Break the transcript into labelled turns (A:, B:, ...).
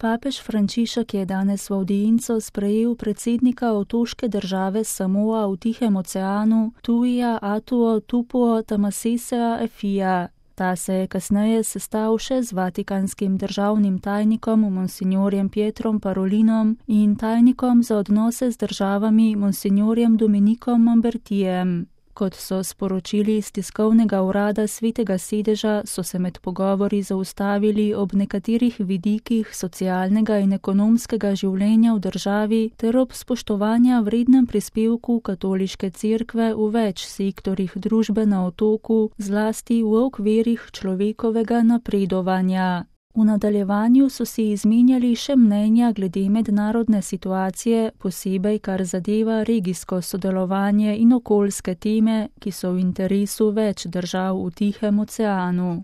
A: Papež Frančišek je danes v audienco sprejel predsednika otoške države Samoa v Tihem oceanu, Tuija Atuo Tupuo Tamasesea Efija. Ta se je kasneje sestal še z vatikanskim državnim tajnikom monsignorjem Pietrom Parolinom in tajnikom za odnose z državami monsignorjem Dominikom Mambertijem. Kot so sporočili iz tiskovnega urada Svetega sedeža, so se med pogovori zaustavili ob nekaterih vidikih socialnega in ekonomskega življenja v državi ter ob spoštovanja vrednem prispevku katoliške cerkve v več sektorjih družbe na otoku, zlasti v okvirih človekovega napredovanja. V nadaljevanju so si izmenjali še mnenja glede mednarodne situacije, posebej kar zadeva regijsko sodelovanje in okoljske teme, ki so v interesu več držav v Tihem oceanu.